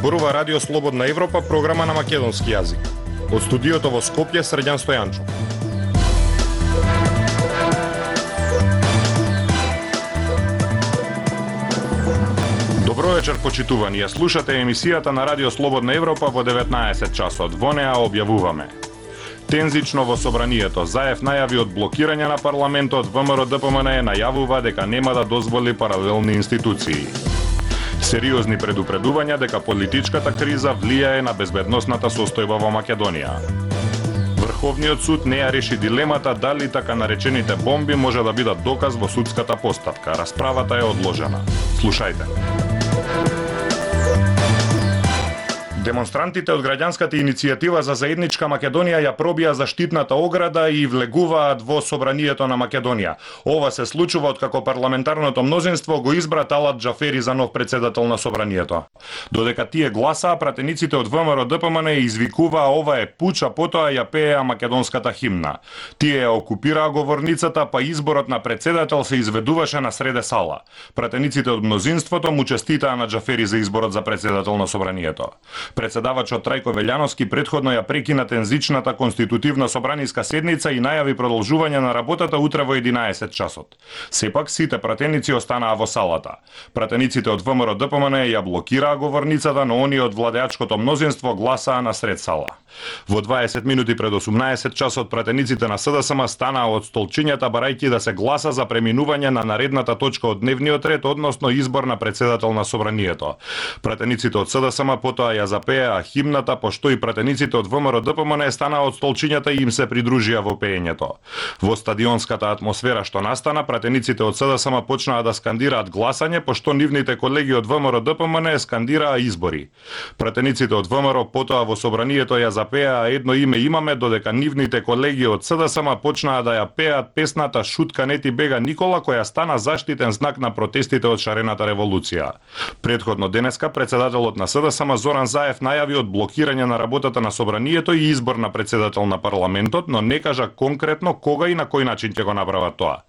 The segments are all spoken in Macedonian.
Зборува Радио Слободна Европа, програма на македонски јазик. Од студиото во Скопје, Срđan Стојанчов. Добро вечер, почитувани. Ја слушате емисијата на Радио Слободна Европа во 19 часот. Во неа објавуваме: тензично во собранието. Заев најави од блокирање на парламентот, ВМРО-ДПМН најавува дека нема да дозволи паралелни институции. Сериозни предупредувања дека политичката криза влијае на безбедносната состојба во Македонија. Врховниот суд не ја реши дилемата дали така наречените бомби може да бидат доказ во судската постапка. Расправата е одложена. Слушајте. Демонстрантите од граѓанската иницијатива за заедничка Македонија ја пробија заштитната ограда и влегуваат во собранието на Македонија. Ова се случува откако парламентарното мнозинство го избра Талат Џафери за нов председател на собранието. Додека тие гласаа, пратениците од ВМРО-ДПМН извикуваа ова е пуч, а потоа ја пееа македонската химна. Тие ја окупираа говорницата, па изборот на председател се изведуваше на среде сала. Пратениците од мнозинството му честитаа на Џафери за изборот за председател на собранието. Председавачот Трајко Велјановски претходно ја прекина тензичната конститутивна собраниска седница и најави продолжување на работата утре во 11 часот. Сепак сите пратеници останаа во салата. Пратениците од ВМРО-ДПМН ја блокираа говорницата, но оние од владеачкото мнозинство гласаа на сред сала. Во 20 минути пред 18 часот пратениците на СДСМ станаа од столчињата барајќи да се гласа за преминување на наредната точка од дневниот ред, односно избор на председател на собранието. Пратениците од СДСМ потоа ја запеа химната, пошто и пратениците од ВМРО-ДПМН станаа од столчињата и им се придружија во пеењето. Во стадионската атмосфера што настана, пратениците од СДСМ почнаа да скандираат гласање, пошто нивните колеги од ВМРО-ДПМН скандираа избори. Пратениците од ВМРО потоа во собранието ја запеа едно име имаме, додека нивните колеги од СДСМ почнаа да ја пеат песната Шутка не ти бега Никола, која стана заштитен знак на протестите од шарената револуција. Предходно денеска председателот на СДСМ Зоран Заев најави од блокирање на работата на собранието и избор на председател на парламентот, но не кажа конкретно кога и на кој начин ќе го направат тоа.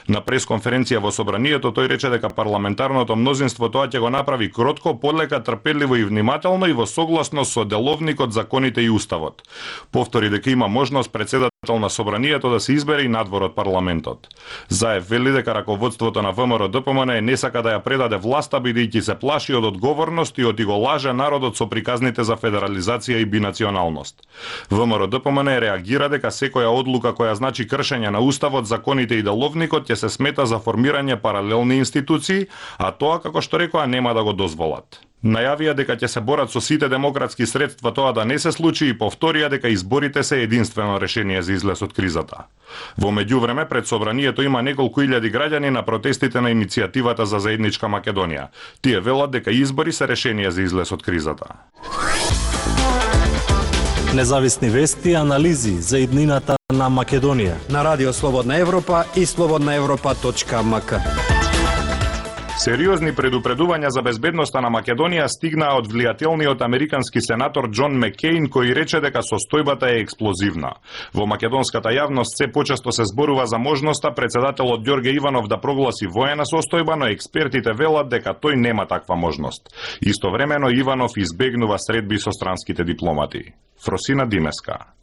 На пресконференција во собранието тој рече дека парламентарното мнозинство тоа ќе го направи кротко, полека, трпеливо и внимателно и во согласност со деловникот, законите и уставот. Повтори дека има можност председател на собранието да се избере и надвор од парламентот. Заев вели дека раководството на ВМРО-ДПМН не сака да ја предаде власта, бидејќи се плаши од одговорност и од го лаже народот со приказните за федерализација и бинационалност. ВМРО-ДПМН реагира дека секоја одлука која значи кршење на уставот, законите и деловникот ќе се смета за формирање паралелни институции, а тоа, како што рекоа, нема да го дозволат. Најавија дека ќе се борат со сите демократски средства тоа да не се случи и повторија дека изборите се единствено решение за излез од кризата. Во меѓувреме, пред собранието има неколку илјади граѓани на протестите на иницијативата за заедничка Македонија. Тие велат дека избори се решение за излез од кризата. Независни вести и анализи за иднината на Македонија на Радио Слободна Европа и slobodnaevropa.mk. Сериозни предупредувања за безбедноста на Македонија стигнаа од влијателниот американски сенатор Џон Маккеин, кој рече дека состојбата е експлозивна. Во македонската јавност се почесто се зборува за можноста председателот Ѓорѓе Иванов да прогласи воена состојба, но експертите велат дека тој нема таква можност. Истовремено Иванов избегнува средби со странските дипломати. Фросина Димеска.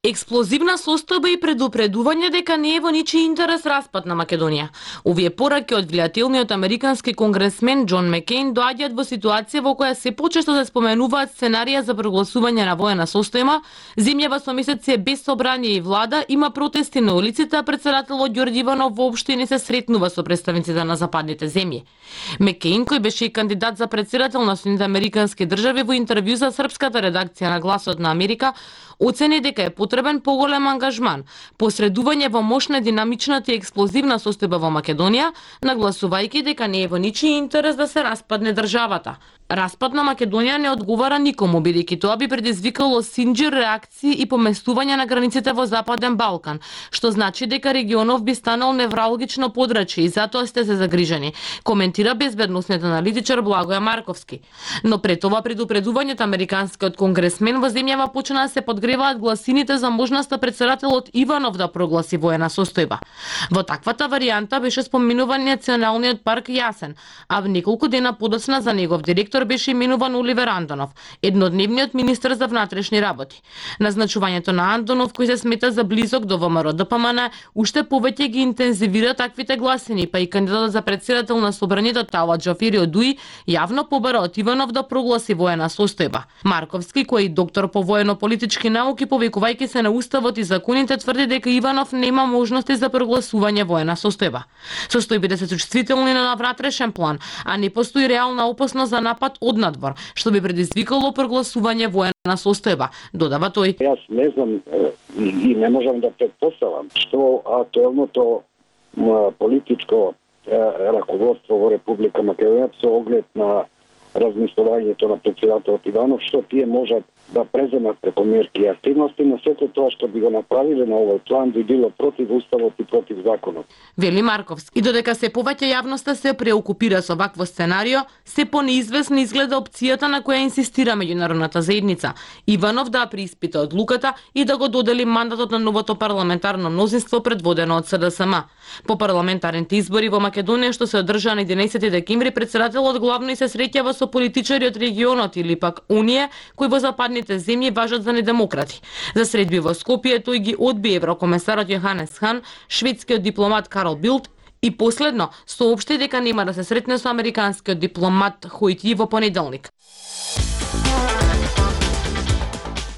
Експлозивна состојба и предупредување дека не е во ничи интерес распад на Македонија. Овие пораки од влијателниот американски конгресмен Џон Маккеин доаѓаат во ситуација во која се почесто се споменуваат сценарија за прогласување на воена состојба, земјава со месеци без собрание и влада, има протести на улиците, а председателот Ѓорѓе Иванов воопшто не се сретнува со представниците на западните земји. Маккеин, кој беше и кандидат за председател на Соединетите американски држави, во интервју за српската редакција на Гласот на Америка, оцени дека е потребен поголем ангажман, посредување во мощна, динамичната и експлозивна состојба во Македонија, нагласувајќи дека не е во ничи интерес да се распадне државата. Распад на Македонија не одговара никому, бидејќи тоа би предизвикало синџир реакции и поместување на границите во Западен Балкан, што значи дека регионов би станал невралгично подрачје и затоа сте се загрижени, коментира безбедносниот аналитичар Благоја Марковски. Но пред ова предупредување од американскиот конгресмен во земјава почна да се подгреваат гласините за можноста председателот Иванов да прогласи воена состојба. Во таквата варијанта беше споменуван Националниот парк Јасен, а неколку дена подоцна за негов директор министер беше именуван Оливер Андонов, еднодневниот министер за внатрешни работи. Назначувањето на Андонов, кој се смета за близок до ВМРО-ДПМН, уште повеќе ги интензивира таквите гласини, па и кандидатот за претседател на собранието Талат Џафери Одуи јавно побара од Иванов да прогласи воена состојба. Марковски, кој е доктор по воено-политички науки, повикувајќи се на уставот и законите, тврди дека Иванов нема можности за прогласување воена состојба. Состојбите се чувствителни на внатрешен план, а не постои реална опасност за напад од надвор, што би предизвикало прогласување воена состојба, додава тој. Јас не знам и не можам да претпоставам што актуелното политичко раководство во Република Македонија со оглед на размислувањето на претседателот Иванов, што тие можат да преземат преку мерки и активности, но сето тоа што би го направиле на овој план би било против уставот и против законот. Вели Марковски. И додека се повеќе јавноста се преокупира со вакво сценарио, се понеизвестна изгледа опцијата на која инсистира меѓународната заедница. Иванов да преиспита одлуката и да го додели мандатот на новото парламентарно мнозинство предводено од СДСМ. По парламентарните избори во Македонија што се одржаа на 11 декември, претседателот главно и се среќава со политичари од регионот или пак Унија, кои во западните земји важат за недемократи. За средби во Скопје тој ги одби еврокомесарот Јоханес Хан, шведскиот дипломат Карл Билт и последно соопшти дека нема да се сретне со американскиот дипломат Хојти во понеделник.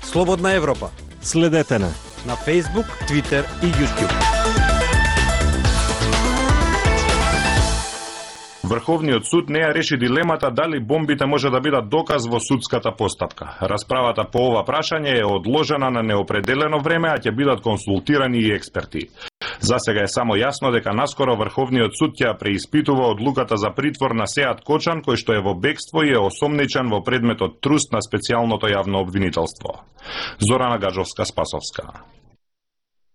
Слободна Европа. Следете на Facebook, Twitter и YouTube. Врховниот суд не ја реши дилемата дали бомбите може да бидат доказ во судската постапка. Расправата по ова прашање е одложена на неопределено време, а ќе бидат консултирани и експерти. За сега е само јасно дека наскоро Врховниот суд ќе преиспитува одлуката за притвор на Сеат Кочан, кој што е во бегство и е осомничен во предметот труст на специјалното јавно обвинителство. Зорана Гаджовска-Спасовска.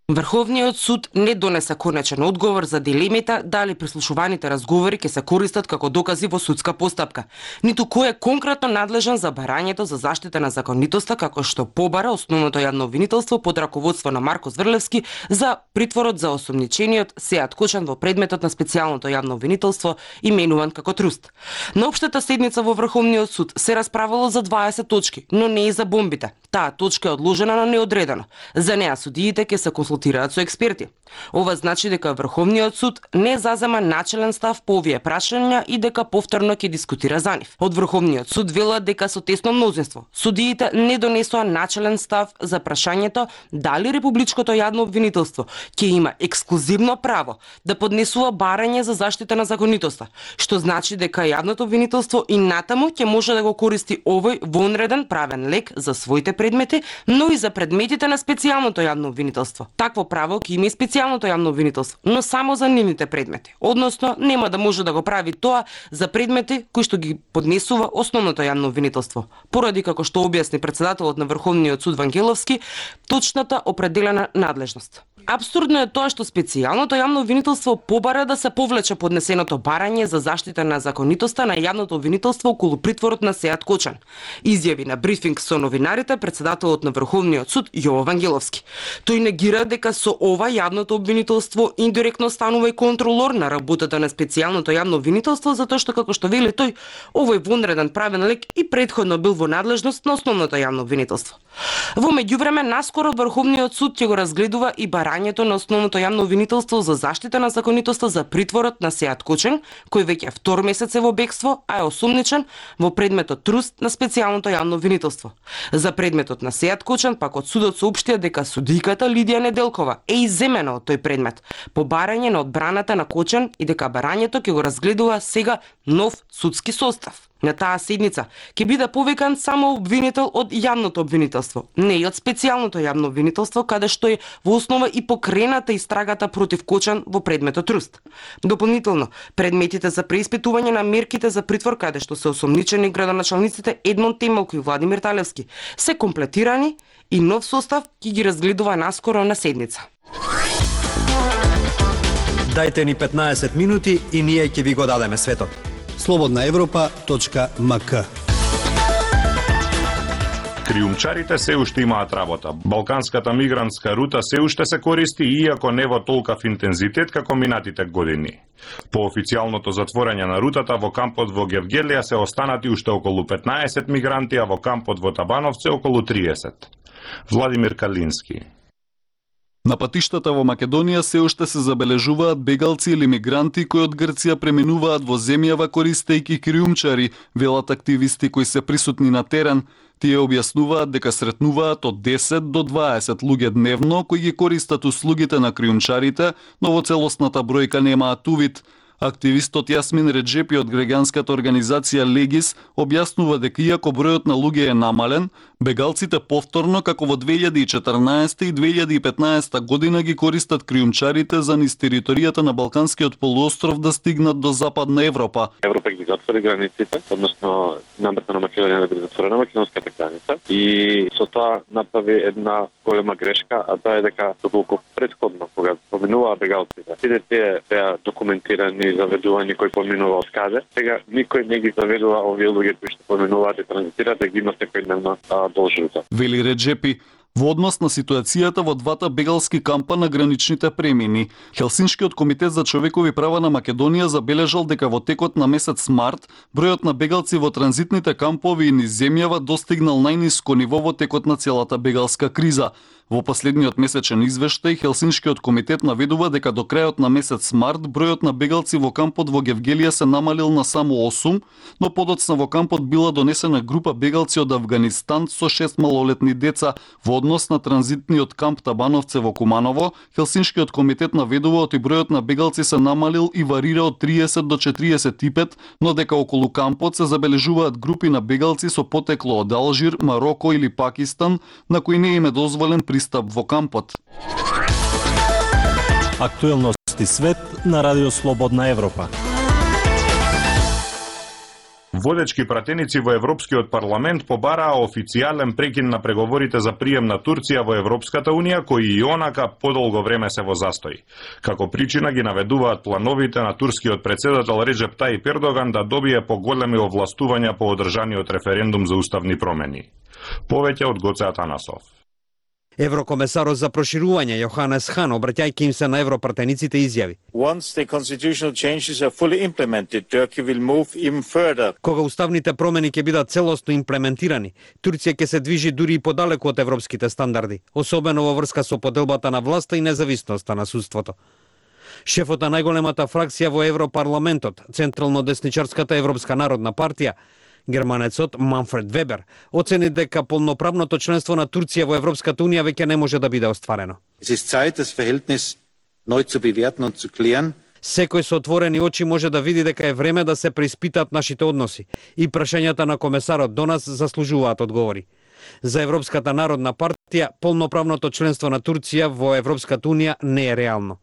Врховниот суд не донесе конечен одговор за дилемите дали прислушуваните разговори ќе се користат како докази во судска постапка, ниту кој е конкретно надлежен за барањето за заштита на законитоста, како што побара основното јавно обвинителство под раководство на Марко Зврлевски за притворот за осомничениот Сеат Кочан во предметот на специјалното јавно обвинителство именуван како труст. На општата седница во Врховниот суд се расправало за 20 точки, но не и за бомбите. Таа точка е одложена на неодредено. За неа судиите ќе се консултираат со експерти. Ова значи дека Врховниот суд не зазема начелен став по овие прашања и дека повторно ќе дискутира за нив. Од Врховниот суд велат дека со тесно мнозинство судиите не донесоа начелен став за прашањето дали републичкото јавно обвинителство ќе има ексклузивно право да поднесува барање за заштита на законитоста, што значи дека јавното обвинителство и натаму ќе може да го користи овој вонреден правен лек за своите предмети, но и за предметите на специјалното јавно обвинителство. Такво право ќе има и специјалното јавно обвинителство, но само за нивните предмети. Односно, нема да може да го прави тоа за предмети кои што ги поднесува основното јавно обвинителство. Поради, како што објасни претседателот на Врховниот суд Вангеловски, точната определена надлежност. Апсурдно е тоа што специјалното јавно обвинителство побара да се повлече поднесеното барање за заштита на законитоста на јавното обвинителство околу притворот на Сеат Кочан. Изјави на брифинг со новинарите претседателот на Врховниот суд Јово Вангеловски. Тој негира дека со ова јавното обвинителство индиректно станува и контролор на работата на специјалното јавно обвинителство, затоа што, како што вели тој, овој вонреден правен лек и претходно бил во надлежност на основното јавно обвинителство. Во меѓувреме, наскоро Врховниот суд ќе го разгледува и барањето на основното јавно обвинителство за заштита на законитоста за притворот на Сеат Кочан, кој веќе втор месец е во бегство, а е осумничен во предметот труст на специјалното јавно обвинителство. За предметот на Сеат Кочан пак од судот соопштија дека судиката Лидија Неделкова е изземена од тој предмет по барање на одбраната на Кочан и дека барањето ќе го разгледува сега нов судски состав. На таа седница ќе биде повикан само обвинител од јавното обвинителство, не и од специјалното јавно обвинителство, каде што е во основа и покрената истрагата против Кочан во предметот труст. Дополнително, предметите за преиспитување на мерките за притвор, каде што се осомничени градоначалниците Едмон Темелко и Владимир Талевски, се комплетирани и нов состав ќе ги разгледува наскоро на седница. Дајте ни 15 минути и ние ќе ви го дадеме светот. Слободна Европа.мк Криумчарите се уште имаат работа. Балканската мигрантска рута се уште се користи, иако не во толкав интензитет како минатите години. По официјалното затворање на рутата, во кампот во Гевгелија се останати уште околу 15 мигранти, а во кампот во Табановце околу 30. Владимир Калински. На патиштата во Македонија се уште се забележуваат бегалци или мигранти кои од Грција преминуваат во земјава користејќи криумчари, велат активисти кои се присутни на терен. Тие објаснуваат дека сретнуваат од 10 до 20 луѓе дневно кои ги користат услугите на криумчарите, но во целосната бројка немаат увид. Активистот Јасмин Реджепи од граѓанската организација Легис објаснува дека иако бројот на луѓе е намален, бегалците повторно како во 2014 и 2015 година ги користат криумчарите за низ територијата на Балканскиот полуостров да стигнат до Западна Европа. Европа ги затвори границите, односно намерата на Македонија да биде затворена македонската граница и со тоа направи една голема грешка, а тоа е дека доколку претходно кога поминуваа бегалците, сите тие беа документирани заведувања кои поминува од каде. Сега никој не ги заведува овие луѓе кои што поминуваат и транзитираат да ги има секојдневно должност. Вели Реджепи, во однос на ситуацијата во двата бегалски кампа на граничните премини, Хелсиншкиот комитет за човекови права на Македонија забележал дека во текот на месец март бројот на бегалци во транзитните кампови и низ земјава достигнал најниско ниво во текот на целата бегалска криза. Во последниот месечен извештај, Хелсиншкиот комитет наведува дека до крајот на месец март бројот на бегалци во кампот во Гевгелија се намалил на само 8, но подоцна во кампот била донесена група бегалци од Авганистан со 6 малолетни деца. Во однос на транзитниот камп Табановце во Куманово, Хелсиншкиот комитет наведува оти бројот на бегалци се намалил и варира од 30 до 45, но дека околу кампот се забележуваат групи на бегалци со потекло од Алжир, Мароко или Пакистан, на кои не им е дозволен пристап во кампот. Актуелности свет на Радио Слободна Европа. Водечки пратеници во Европскиот парламент побараа официјален прекин на преговорите за прием на Турција во Европската унија, кои и онака подолго време се во застој. Како причина ги наведуваат плановите на турскиот председател Реджеп Тајип Ердоган да добие поголеми овластувања по одржаниот референдум за уставни промени. Повеќе од Гоце Атанасов. Еврокомесарот за проширување Јоханес Хан, обраќајќи им се на европратениците, изјави: Once the constitutional changes are fully implemented, Turkey will move even further. Кога уставните промени ќе бидат целосно имплементирани, Турција ќе се движи дури и подалеку од европските стандарди, особено во врска со поделбата на власта и независноста на судството. Шефот на најголемата фракција во Европарламентот, централно десничарската Европска народна партија, германецот Манфред Вебер, оцени дека полноправното членство на Турција во Европската унија веќе не може да биде остварено. Es ist Zeit, das Verhältnis neu zu bewerten und zu klären. Секој со отворени очи може да види дека е време да се преиспитаат нашите односи и прашањата на комесарот до нас заслужуваат одговори. За Европската народна партија, полноправното членство на Турција во Европската унија не е реално.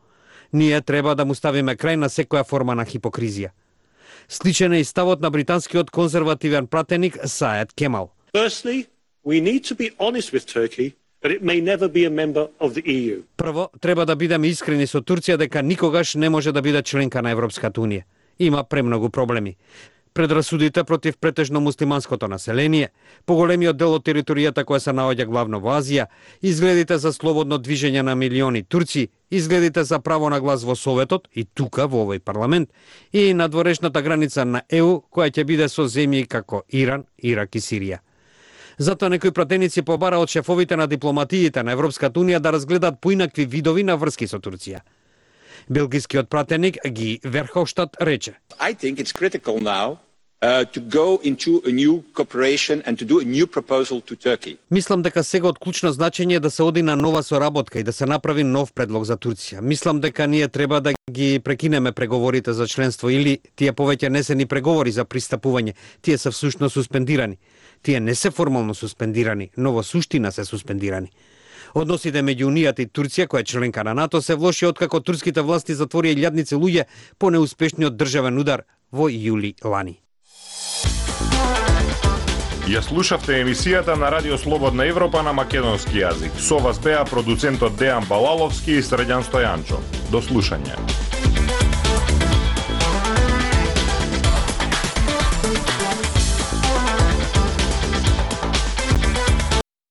Ние треба да му ставиме крај на секоја форма на хипокризија. Сличен е и ставот на британскиот конзервативен пратеник Саед Кемал. Firstly, we need to be honest with Turkey that it may never be a member of the EU. Прво, треба да бидеме искрени со Турција дека никогаш не може да биде членка на Европската унија. Има премногу проблеми. Предрасудите против претежно муслиманското население, поголемиот дел од територијата која се наоѓа главно во Азија, изгледите за слободно движење на милиони турци, изгледите за право на глас во Советот и тука во овој парламент, и надворешната граница на ЕУ која ќе биде со земји како Иран, Ирак и Сирија. Затоа некои пратеници побара од шефовите на дипломатиите на Европската унија да разгледаат поинакви видови на врски со Турција. Белгискиот пратеник Ги Верховштад рече: I think it's critical now to go into a new cooperation and to do a new proposal to Turkey. Мислам дека сега од клучно значење е да се оди на нова соработка и да се направи нов предлог за Турција. Мислам дека ние треба да ги прекинеме преговорите за членство или тие повеќе не се ни преговори за пристапување, тие се всушност суспендирани. Тие не се формално суспендирани, но во суштина се суспендирани. Односите меѓу Унијата и Турција, која е членка на НАТО, се влоши откако турските власти затворија илјадници луѓе по неуспешниот државен удар во јули лани. Ја слушавте емисијата на Радио Слободна Европа на македонски јазик. Со вас беа продуцентот Дејан Балаловски и Средјан Стојанчо. До слушање.